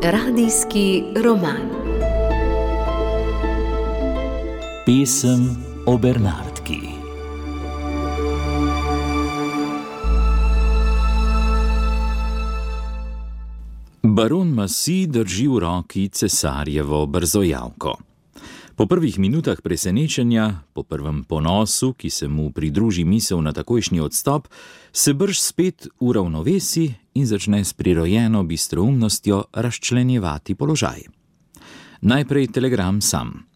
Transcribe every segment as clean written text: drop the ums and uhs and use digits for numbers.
Radijski roman. Pesem o Bernardki. Baron Massy drži v roki cesarjevo brzojavko. Po prvih minutah presenečenja, po prvem ponosu, ki se mu pridruži misel na takojšnji odstop, se brž spet uravnovesi in začne s prirojeno bistroumnostjo razčlenjevati položaj. Najprej telegram sam.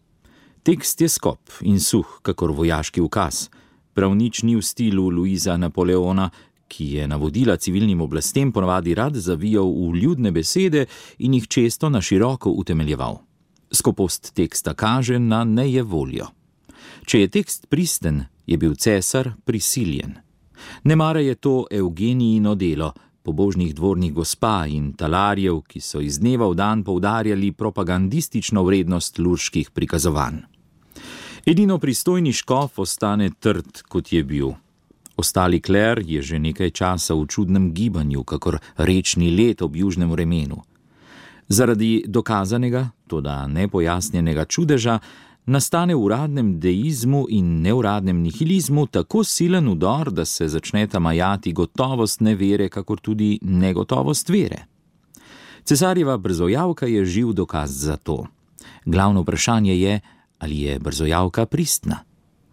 Tekst je skop in suh, kakor vojaški ukaz. Prav nič ni v stilu Luisa Napoleona, ki je navodila civilnim oblastem ponavadi rad zavijal v ljudne besede in jih često na široko utemeljeval. Skopost teksta kaže na nejevoljo. Če je tekst pristen, je bil cesar prisiljen. Nemara je to Eugenijino delo, pobožnih dvornih gospa in talarjev, ki so iz dneva v dan poudarjali propagandistično vrednost lurških prikazovanj. Edino pristojni škof ostane trd, kot je bil. Ostali kler je že nekaj časa v čudnem gibanju, kakor rečni led ob južnem vremenu. Zaradi dokazanega, toda nepojasnjenega čudeža, nastane v uradnem deizmu in neuradnem nihilizmu tako silen udor, da se začneta majati gotovost nevere, kakor tudi negotovost vere. Cesarjeva brzojavka je živ dokaz za to. Glavno vprašanje je, ali je brzojavka pristna.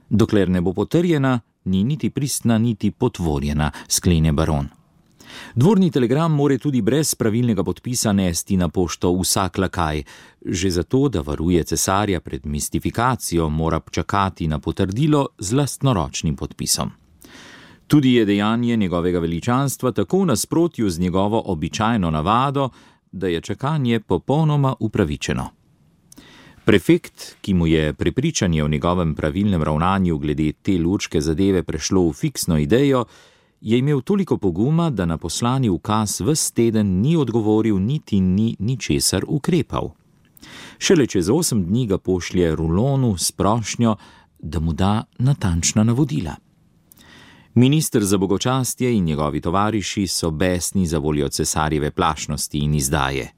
Dokler ne bo potrjena, ni niti pristna, niti potvorjena, sklene baron. Dvorni telegram more tudi brez pravilnega podpisa nesti na pošto vsak lakaj. Že zato, da varuje cesarja pred mistifikacijo, mora čakati na potrdilo z lastnoročnim podpisom. Tudi je dejanje njegovega veličanstva tako v nasprotju z njegovo običajno navado, da je čakanje popolnoma upravičeno. Prefekt, ki mu je prepričanje o njegovem pravilnem ravnanju glede te lurške zadeve prešlo v fiksno idejo, je imel toliko poguma, da na poslani ukaz ves teden ni odgovoril, niti ni ničesar ukrepal. Šele čez 8 dni ga pošlje Rulonu s prošnjo, da mu da natančna navodila. Minister za bogočastje in njegovi tovariši so besni za voljo cesarjeve plašnosti in izdaje.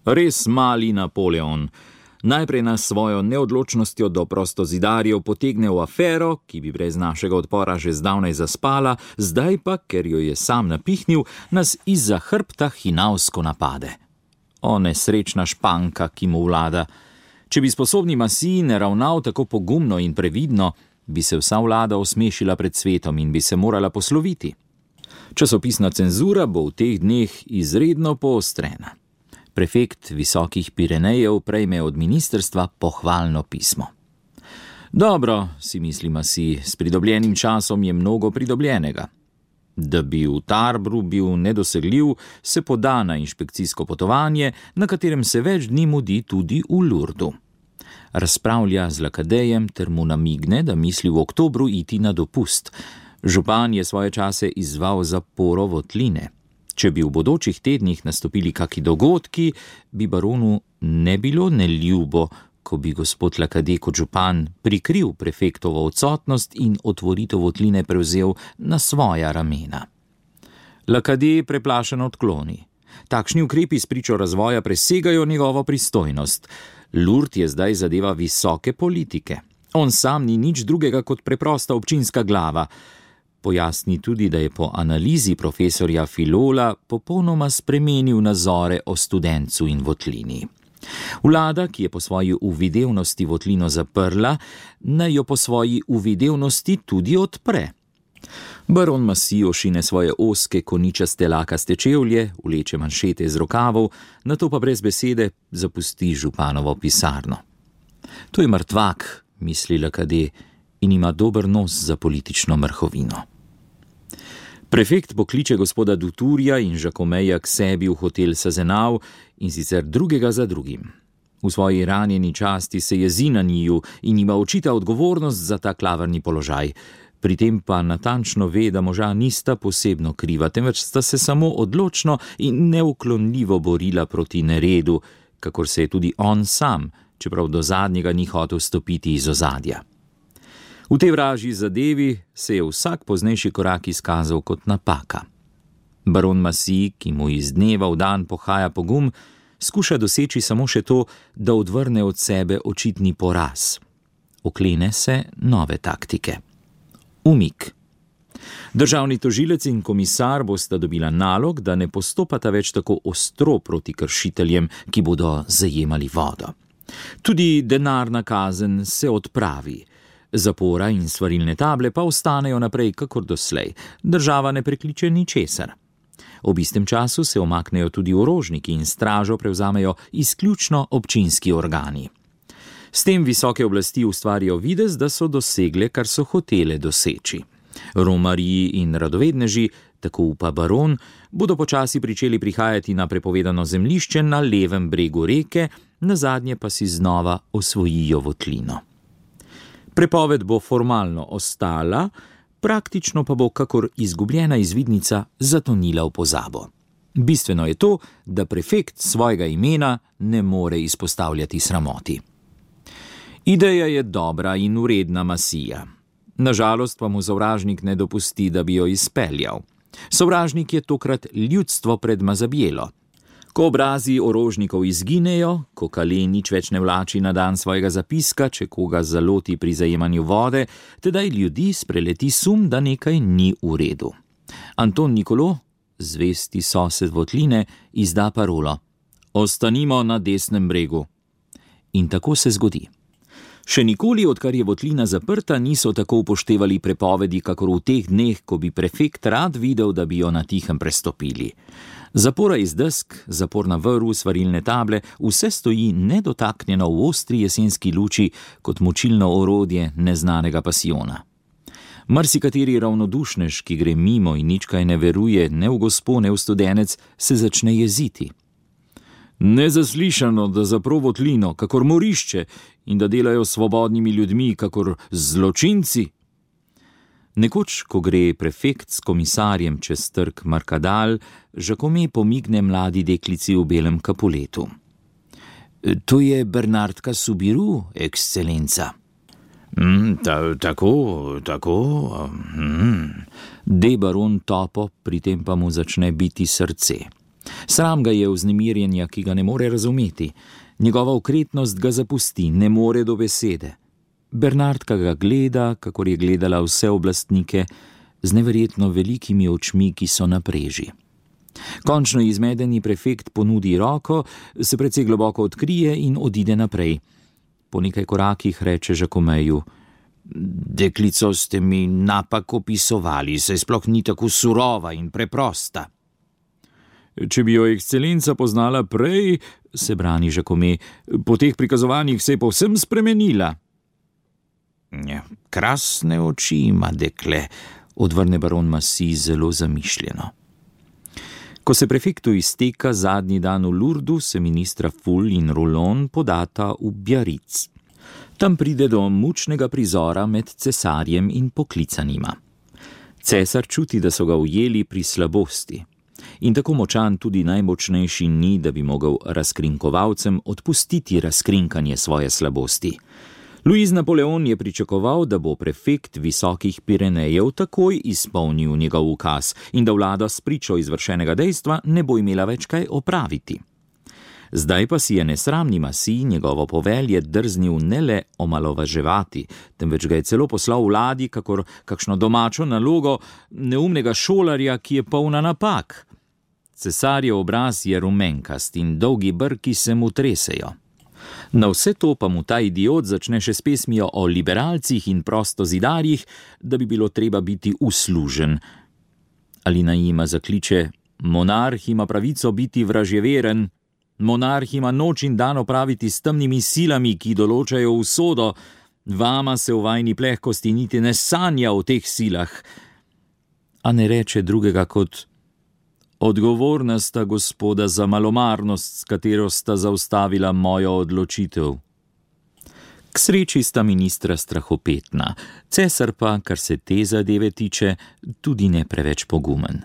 Res mali Napoleon. Najprej nas svojo neodločnostjo do prostozidarjev potegne v afero, ki bi brez našega odpora že zdavnaj zaspala, zdaj pa, ker jo je sam napihnil, nas izza hrbta hinavsko napade. O nesrečna Španka, ki mu vlada. Če bi sposobni Massy ne ravnal tako pogumno in previdno, bi se vsa vlada osmešila pred svetom in bi se morala posloviti. Časopisna cenzura bo v teh dneh izredno poostrena. Prefekt Visokih Pirenejev prejme od ministrstva pohvalno pismo. Dobro, si misli Massy, s pridobljenim časom je mnogo pridobljenega. Da bi v Tarbru bil nedosegljiv, se poda na inšpekcijsko potovanje, na katerem se več dni mudi tudi v Lurdu. Razpravlja z Lakadejem ter mu namigne, da misli v oktobru iti na dopust. Župan je svoje čase izzval zaporo Votline. Če bi v bodočih tednih nastopili kaki dogodki, bi baronu ne bilo neljubo, ko bi gospod Lakade kot župan prikril prefektovo odsotnost in otvoritev Votline prevzel na svoja ramena. Lakade preplašeno odkloni. Takšni ukrepi spričo razvoja presegajo njegovo pristojnost. Lourdes je zdaj zadeva visoke politike. On sam ni nič drugega kot preprosta občinska glava. Pojasni tudi, da je po analizi profesorja Filola popolnoma spremenil nazore o Studencu in Votlini. Vlada, ki je po svoji uvidevnosti Votlino zaprla, naj jo po svoji uvidevnosti tudi odpre. Baron Massy ošine svoje ozke koničaste lakaste čevlje, vleče manšete iz rokavov, nato pa brez besede zapusti županovo pisarno. To je mrtvak, misli Lakade, in ima dober nos za politično mrhovino. Prefekt pokliče gospoda Dutourja in Žakomeja k sebi v hotel Sazenav, in sicer drugega za drugim. V svoji ranjeni časti se jezi na njiju in ima očita odgovornost za ta klavrni položaj. Pri tem pa natančno ve, da moža nista posebno kriva, temveč sta se samo odločno in neuklonljivo borila proti neredu, kakor se je tudi on sam, čeprav do zadnjega ni hotel stopiti iz ozadja. V tej vražji zadevi se je vsak poznejši korak izkazal kot napaka. Baron Massey, ki mu iz dneva v dan pohaja pogum, skuša doseči samo še to, da odvrne od sebe očitni poraz. Oklene se nove taktike. Umik. Državni tožilec in komisar bosta dobila nalog, da ne postopata več tako ostro proti kršiteljem, ki bodo zajemali vodo. Tudi denarna kazen se odpravi. Zapora in svarilne table pa ostanejo naprej kakor doslej. Država ne prekliče ničesar. Ob istem času se omaknejo tudi orožniki in stražo prevzamejo izključno občinski organi. S tem visoke oblasti ustvarijo videz, da so dosegle, kar so hotele doseči. Romarji in radovedneži, tako upa baron, bodo počasi pričeli prihajati na prepovedano zemljišče na levem bregu reke, nazadnje pa si znova osvojijo votlino. Prepoved bo formalno ostala, praktično pa bo kakor izgubljena izvidnica zatonila v pozabo. Bistveno je to, da prefekt svojega imena ne more izpostavljati sramoti. Ideja je dobra in vredna Masseyja. Nažalost pa mu sovražnik ne dopusti, da bi jo izpeljal. Sovražnik je tokrat ljudstvo pred Mazabjelo. Ko obrazi orožnikov izginejo, ko Calais nič več ne vlači na dan svojega zapiska, če koga zaloti pri zajemanju vode, tedaj ljudi spreleti sum, da nekaj ni v redu. Anton Nicolo, zvesti sosed votline, izda parolo: "Ostanimo na desnem bregu." In tako se zgodi. Še nikoli, odkar je votlina zaprta, niso tako upoštevali prepovedi, kakor v teh dneh, ko bi prefekt rad videl, da bi jo na tihem prestopili. Zapora iz desk, zaporna vrv, svarilne table, vse stoji nedotaknjeno v ostri jesenski luči kot močilno orodje neznanega pasijona. Marsikateri ravnodušnež, ki gre mimo in nič kaj ne veruje, ne v gospo, ne v studenec, se začne jeziti. Nezaslišano, da zapro votlino, kakor morišče, in da delajo svobodnimi ljudmi, kakor zločinci. Nekoč, ko gre prefekt s komisarjem čez trg Markadal, Jacome pomigne mladi deklici v belem kapuletu. "To je Bernardka Soubirous, ekscelenca." Tako. De baron topo, pri tem pa mu začne biti srce. Sram ga je vznemirjenja, ki ga ne more razumeti. Njegova okretnost ga zapusti, ne more do besede. Bernardka ga gleda, kakor je gledala vse oblastnike, z neverjetno velikimi očmi, ki so na preži. Končno izmedeni prefekt ponudi roko, se precej globoko odkrije in odide naprej. Po nekaj korakih reče Jacomeju: "Deklico ste mi napak opisovali, saj sploh ni tako surova in preprosta." "Če bi jo ekscelenca poznala prej," se brani Jacome, "po teh prikazovanjih se je povsem spremenila." "Krasne oči ima dekle," odvrne baron Massey zelo zamišljeno. Ko se prefektu izteka zadnji dan v Lourdu, se ministra Full in Roulon podata v Biarritz. Tam pride do mučnega prizora med cesarjem in poklicanima. Cesar čuti, da so ga ujeli pri slabosti. In tako močan tudi najmočnejši ni, da bi mogel razkrinkovalcem odpustiti razkrinkanje svoje slabosti. Louis Napoleon je pričakoval, da bo prefekt Visokih Pirenejev takoj izpolnil njegov ukaz in da vlada s pričo izvršenega dejstva ne bo imela več kaj opraviti. Zdaj pa si je nesramni Massey njegovo povelje drznil ne le omalovaževati, temveč ga je celo poslal vladi kakor kakšno domačo nalogo neumnega šolarja, ki je polna napak. Cesarjev obraz je rumenkast in dolgi brki se mu tresejo. Na vse to pa mu ta idiot začne še s pesmijo o liberalcih in prostozidarjih, da bi bilo treba biti uslužen. Ali naima zakliče: "Monarh ima pravico biti vražjeveren, monarh ima noč in dan opraviti s temnimi silami, ki določajo usodo, vama se v vajni plehkosti niti ne sanja o teh silah." A ne reče drugega kot: "Odgovorna sta gospoda za malomarnost, s katero sta zaustavila mojo odločitev." K sreči sta ministra strahopetna, cesar pa, kar se te zadeve tiče, tudi ne preveč pogumen.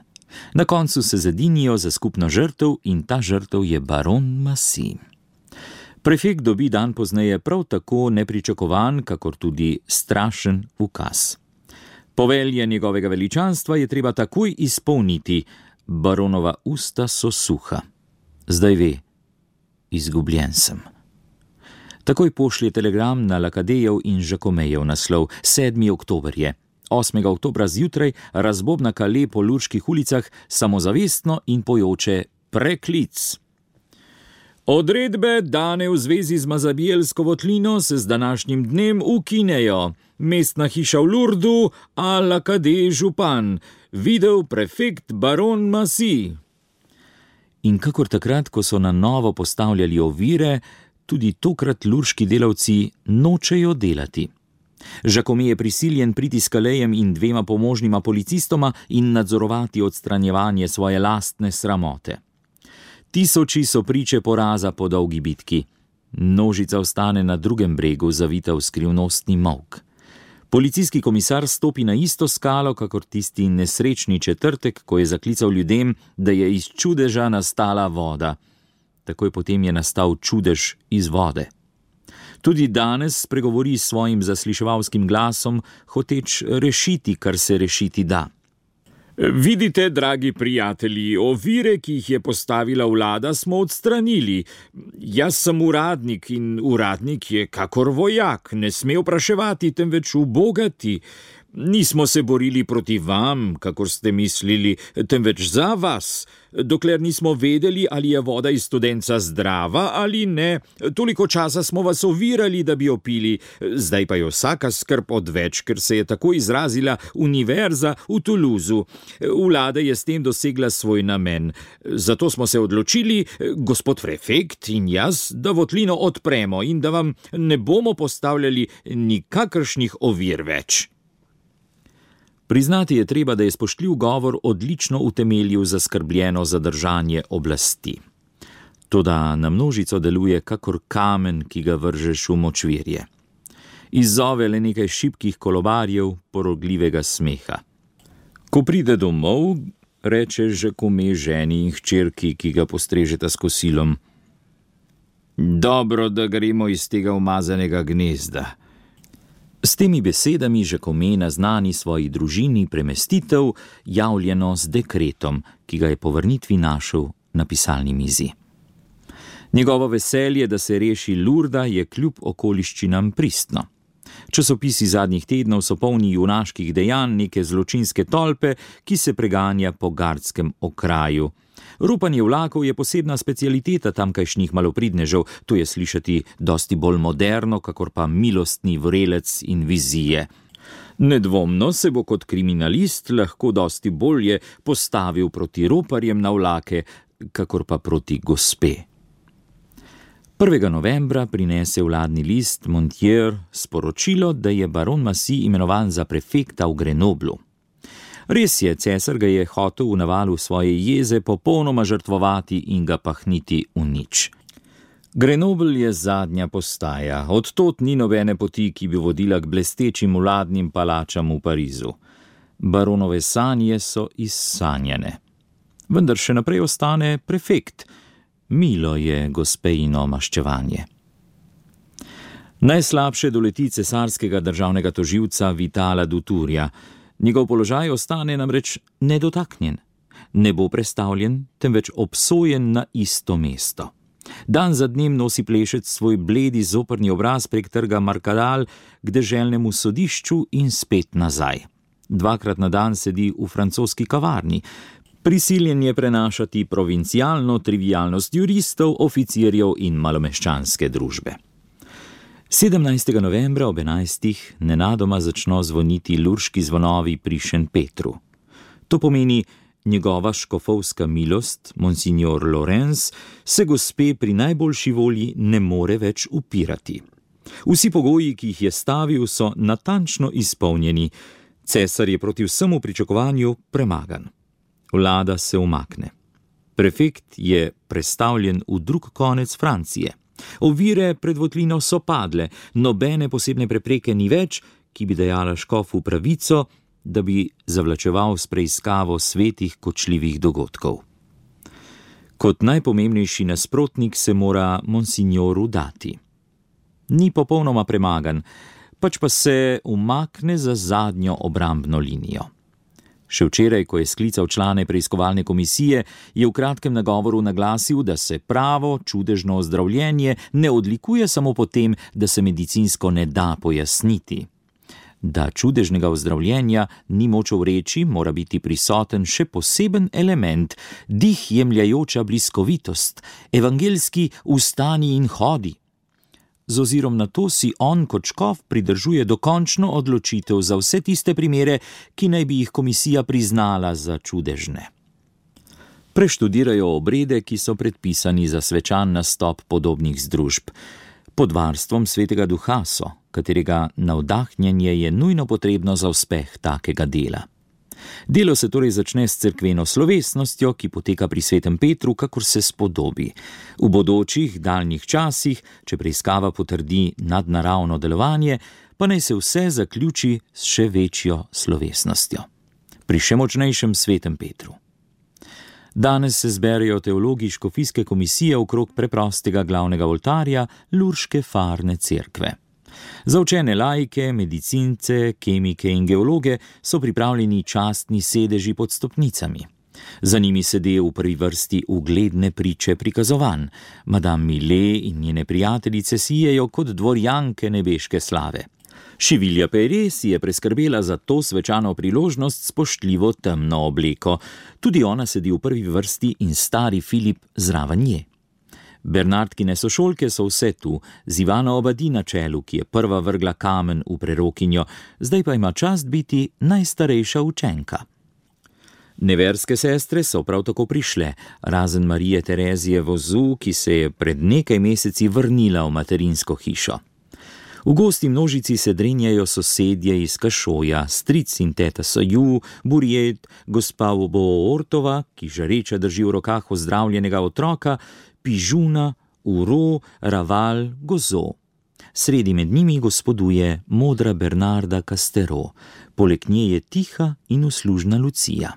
Na koncu se zedinijo za skupno žrtev in ta žrtev je baron Massey. Prefekt dobi dan pozneje prav tako nepričakovan, kakor tudi strašen ukaz. Povelje njegovega veličanstva je treba takoj izpolniti. Baronova usta so suha. Zdaj ve, izgubljen sem. Takoj pošlje telegram na Lakadejev in Žakomejev naslov. 7. oktober je. 8. oktobra zjutraj razbobna Kale po lurških ulicah samozavestno in pojoče preklic. Odredbe, dane v zvezi z Mazabijelsko votlino, se z današnjim dnem ukinejo. Mestna hiša v Lurdu, a Lakadej župan. Videl prefekt baron Massy. In kakor takrat, ko so na novo postavljali ovire, tudi tokrat lurški delavci nočejo delati. Žakome je prisiljen priti s Kalejem in 2 pomožnima policistoma in nadzorovati odstranjevanje svoje lastne sramote. Tisoči so priče poraza po dolgi bitki. Množica ostane na drugem bregu, zavita v skrivnostni molk. Policijski komisar stopi na isto skalo, kakor tisti nesrečni četrtek, ko je zaklical ljudem, da je iz čudeža nastala voda. Takoj potem je nastal čudež iz vode. Tudi danes spregovori s svojim zasliševalskim glasom, hoteč rešiti, kar se rešiti da. Vidite, dragi prijatelji, ovire, ki jih je postavila vlada, smo odstranili. Jaz sem uradnik in uradnik je kakor vojak, ne sme vpraševati, temveč ubogati. Nismo se borili proti vam, kakor ste mislili, temveč za vas. Dokler nismo vedeli, ali je voda iz studenca zdrava ali ne, toliko časa smo vas ovirali, da bi jo pili. Zdaj pa je vsaka skrb odveč, ker se je tako izrazila univerza v Toulouseu. Vlada je s tem dosegla svoj namen. Zato smo se odločili, gospod prefekt in jaz, da votlino odpremo in da vam ne bomo postavljali nikakršnih ovir več. Priznati je treba, da je spoštljiv govor odlično utemeljil zaskrbljeno zadržanje oblasti. Toda na množico deluje kakor kamen, ki ga vržeš v močvirje. Izzove le nekaj šibkih kolobarjev porogljivega smeha. Ko pride domov, reče Žakome ženi in hčerki, ki ga postrežeta s kosilom: dobro, da gremo iz tega umazanega gnezda. S temi besedami Žakome naznani svoji družini premestitev, javljeno z dekretom, ki ga je po vrnitvi našel na pisalni mizi. Njegovo veselje, da se reši Lurda, je kljub okoliščinam pristno. Časopisi zadnjih tednov so polni junaških dejanj neke zločinske tolpe, ki se preganja po gardskem okraju. Rupanje vlakov je posebna specialiteta tamkajšnjih malopridnežev, to je slišati dosti bolj moderno, kakor pa milostni vrelec in vizije. Nedvomno se bo kot kriminalist lahko dosti bolje postavil proti roparjem na vlake, kakor pa proti gospe. 1. novembra prinese vladni list Montier sporočilo, da je baron Massy imenovan za prefekta v Grenoblu. Res je, cesar ga je hotel v navalu svoje jeze popolnoma žrtvovati in ga pahniti v nič. Grenoble je zadnja postaja, odtot ni nobene poti, ki bi vodila k blestečim vladnim palačam v Parizu. Baronove sanje so izsanjene. Vendar še naprej ostane prefekt. Milo je gospejino maščevanje. Najslabše doleti cesarskega državnega tožilca Vitala Dutourja. Njegov položaj ostane namreč nedotaknjen. Ne bo prestavljen, temveč obsojen na isto mesto. Dan za dnem nosi plešec svoj bledi zoprni obraz prek trga Markadal k deželnemu sodišču in spet nazaj. 2krat na dan sedi v francoski kavarni. Prisiljen je prenašati provincialno trivialnost juristov, oficirjev in malomeščanske družbe. 17. novembra ob 11. nenadoma začno zvoniti lurški zvonovi pri Šentpetru. To pomeni, njegova škofovska milost, monsignor Lorenz, se gospe pri najboljši volji ne more več upirati. Vsi pogoji, ki jih je stavil, so natančno izpolnjeni. Cesar je proti vsemu pričakovanju premagan. Vlada se umakne. Prefekt je prestavljen v drug konec Francije. Ovire pred votlino so padle, nobene posebne prepreke ni več, ki bi dajala škofu pravico, da bi zavlačeval s preiskavo svetih kočljivih dogodkov. Kot najpomembnejši nasprotnik se mora monsignoru dati. Ni popolnoma premagan, pač pa se umakne za zadnjo obrambno linijo. Še včeraj, ko je sklical člane preiskovalne komisije, je v kratkem nagovoru naglasil, da se pravo, čudežno ozdravljenje ne odlikuje samo po tem, da se medicinsko ne da pojasniti. Da čudežnega ozdravljenja ni moč vreči, mora biti prisoten še poseben element, dih jemljajoča bliskovitost, evangelski vstani in hodi. Z ozirom na to si on kot škof pridržuje dokončno odločitev za vse tiste primere, ki naj bi jih komisija priznala za čudežne. Preštudirajo obrede, ki so predpisani za svečan nastop podobnih združb. Pod varstvom Svetega Duha so, katerega navdahnjenje je nujno potrebno za uspeh takega dela. Delo se torej začne s cerkveno slovesnostjo, ki poteka pri Svetem Petru, kakor se spodobi. V bodočih, daljnih časih, če preiskava potrdi nadnaravno delovanje, pa naj se vse zaključi s še večjo slovesnostjo. Pri še močnejšem Svetem Petru. Danes se zberejo teologi škofijske komisije okrog preprostega glavnega oltarja Lurške farne cerkve. Za učene laike, medicince, kemike in geologe so pripravljeni častni sedeži pod stopnicami. Za njimi sede v prvi vrsti ugledne priče prikazovanj. Madame Millet in njene prijateljice sijejo kot dvorjanke nebeške slave. Šivilja Pere si je preskrbela za to svečano priložnost spoštljivo temno obleko. Tudi ona sedi v prvi vrsti in stari Filip zraven nje. Bernardkine sošolke so vse tu, z Ivano Obadi na čelu, ki je prva vrgla kamen v prerokinjo, zdaj pa ima čast biti najstarejša učenka. Neverske sestre so prav tako prišle, razen Marije Terezije Vozu, ki se je pred nekaj meseci vrnila v materinsko hišo. V gosti množici se drenjajo sosedje iz Kašoja, stric in teta Saju, Burjet, gospa Ortova, ki žareča drži v rokah ozdravljenega otroka, Pižuna, Uro, Raval, Gozo. Sredi med njimi gospoduje modra Bernarda Castero, poleg nje je tiha in uslužna Lucija.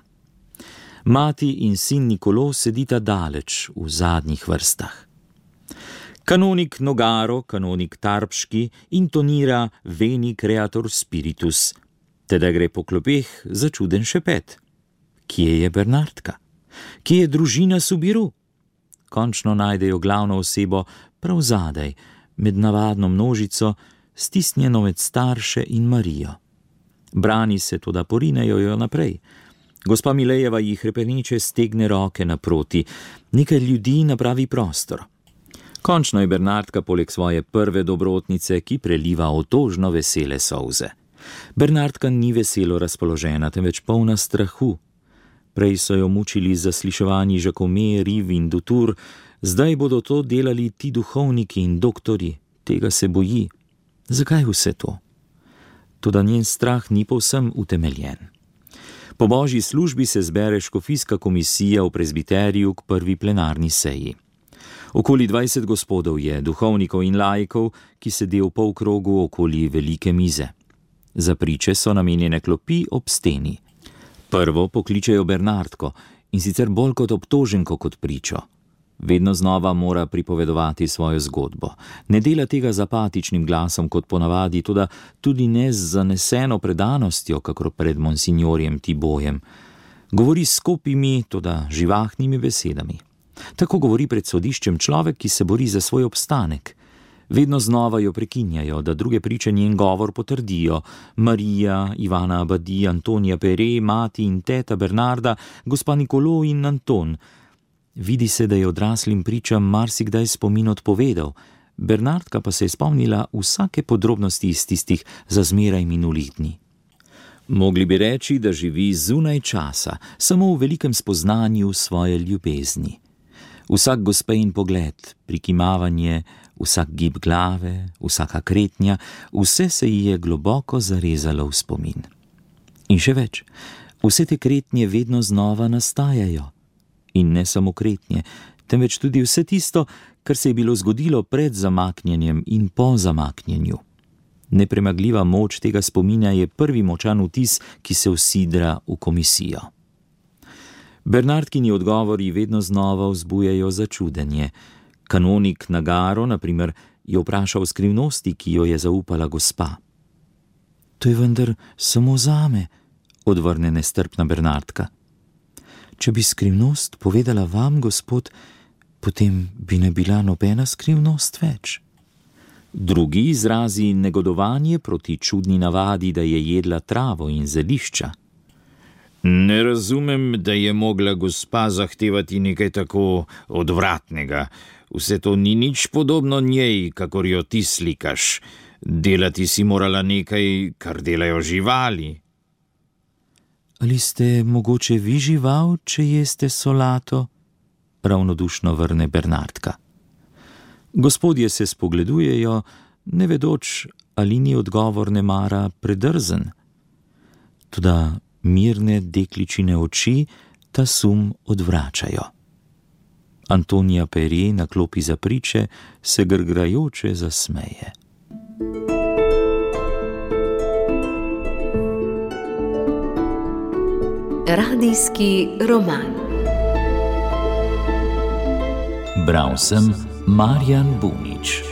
Mati in sin Nikolo sedita daleč v zadnjih vrstah. Kanonik Nogaro, kanonik Tarpški, intonira Veni Creator Spiritus, teda gre po klopeh za čuden šepet. Kje je Bernardka? Kje je družina Subiru? Končno najdejo glavno osebo prav zadaj, med navadno množico, stisnjeno med starše in Marijo. Brani se, toda porinejo jo naprej. Gospa Milejeva jih hrepeneče stegne roke naproti, nekaj ljudi napravi prostor. Končno je Bernardka poleg svoje prve dobrotnice, ki preliva otožno vesele solze. Bernardka ni veselo razpoložena, temveč polna strahu. Prej so jo mučili zasliševanji Žakome, Riv in Dutur, zdaj bodo to delali ti duhovniki in doktori. Tega se boji. Zakaj vse to? Toda njen strah ni povsem utemeljen. Po božji službi se zbere škofijska komisija v prezbiteriju k prvi plenarni seji. Okoli 20 gospodov je, duhovnikov in laikov, ki sedi v polkrogu okoli velike mize. Za priče so namenjene klopi ob steni. Prvo pokličejo Bernardko, in sicer bolj kot obtoženko kot pričo. Vedno znova mora pripovedovati svojo zgodbo. Ne dela tega z apatičnim glasom kot ponavadi, toda tudi ne z zaneseno predanostjo, kakor pred monsignorjem Tibojem. Govori s skopimi, toda živahnimi besedami. Tako govori pred sodiščem človek, ki se bori za svoj obstanek. Vedno znova jo prekinjajo, da druge priče njen govor potrdijo. Marija, Ivana Abadi, Antonija Pere, mati in teta Bernarda, gospa Nikolo in Anton. Vidi se, da je odraslim pričam marsikdaj spomin odpovedal. Bernardka pa se je spomnila vsake podrobnosti iz tistih za zmeraj minulih dni. Mogli bi reči, da živi zunaj časa, samo v velikem spoznanju svoje ljubezni. Vsak gospejin pogled, prikimavanje, vsak gib glave, vsaka kretnja, vse se ji je globoko zarezalo v spomin. In še več, vse te kretnje vedno znova nastajajo. In ne samo kretnje, temveč tudi vse tisto, kar se je bilo zgodilo pred zamaknjenjem in po zamaknjenju. Nepremagljiva moč tega spomina je prvi močan vtis, ki se usidra v komisijo. Bernardkini odgovori vedno znova vzbujajo začudenje. Kanonik Nagaro, na primer, je vprašal skrivnosti, ki jo je zaupala gospa. To je vendar samo zame, odvrne nestrpna Bernardka. Če bi skrivnost povedala vam, gospod, potem bi ne bila nobena skrivnost več. Drugi izrazi negodovanje proti čudni navadi, da je jedla travo in zelišča. Ne razumem, da je mogla gospa zahtevati nekaj tako odvratnega. Vse to ni nič podobno njej, kakor jo ti slikaš. Delati si morala nekaj, kar delajo živali. Ali ste mogoče vi žival, če jeste solato? Ravnodušno vrne Bernardka. Gospodje se spogledujejo, ne vedoč, ali ni odgovor nemara predrzen. Toda mirne dekličine oči ta sum odvračajo. Antonija Perje na klopi za priče se grgrajoče zasmeje. Radijski roman. Bral sem Marjan Bunič.